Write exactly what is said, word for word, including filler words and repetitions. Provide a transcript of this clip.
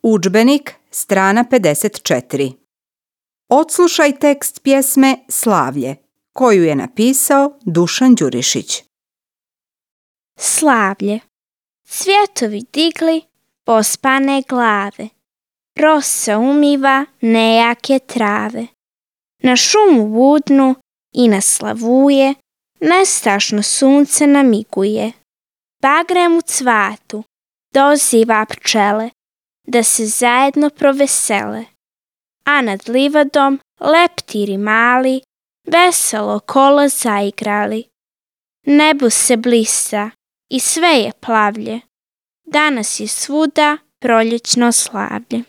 Udžbenik, strana pedeset četiri. Odslušaj tekst pjesme Slavlje, koju je napisao Dušan Đurišić. Slavlje. Cvjetovi digli pospane glave, rosa umiva nejake trave. Na šumu budnu i na slavuje nestašno sunce namiguje. Bagrem u cvatu doziva pčele da se zajedno provesele, a nad livadom leptiri mali veselo kolo zaigrali. Nebo se blista i sve je plavlje, danas je svuda proljećno slavlje.